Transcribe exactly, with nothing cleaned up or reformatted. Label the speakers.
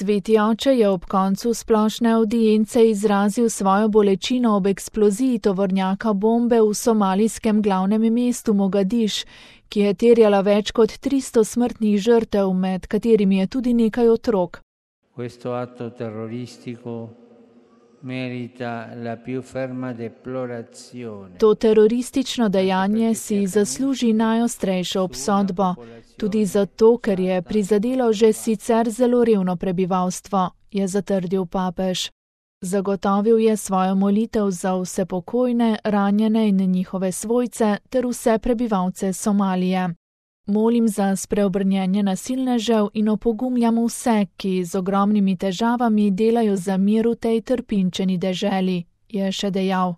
Speaker 1: Sveti oče je ob koncu splošne avdience izrazil svojo bolečino ob eksploziji tovornjaka bombe v somalijskem glavnem mestu Mogadiš, ki je terjala več kot tristo smrtnih žrtev, med katerimi je tudi nekaj otrok.
Speaker 2: Questo atto terroristico merita la più ferma deplorazione.
Speaker 1: To teroristično dejanje si zasluži najostrejšo obsodbo, tudi zato, ker je prizadelo že sicer zelo revno prebivalstvo, je zatrdil papež. Zagotovil je svojo molitev za vse pokojne, ranjene in njihove svojce ter vse prebivalce Somalije. Molim za spreobrnjenje nasilnežev in opogumljam vse, ki z ogromnimi težavami delajo za mir v tej trpinčeni deželi, je še dejal.